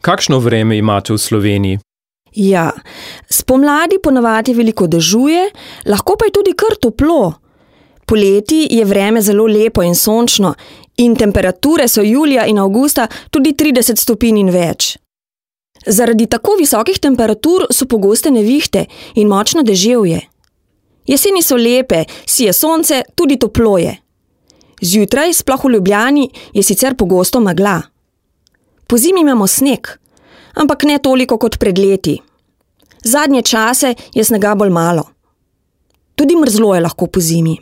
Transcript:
Kakšno vreme imate v Sloveniji? Ja, spomladi ponavadi veliko dežuje, lahko pa je tudi kar toplo. Poleti je vreme zelo lepo in sončno in temperature so julija in avgusta tudi 30 stopinj in več. Zaradi tako visokih temperatur so pogoste nevihte in močno deževje. Jeseni so lepe, sije sonce, tudi toplo je. Zjutraj, sploh v Ljubljani, je sicer pogosto megla. Pozimi imamo sneg, ampak ne toliko kot pred leti. Zadnje čase je snega bolj malo. Tudi mrzlo je lahko pozimi.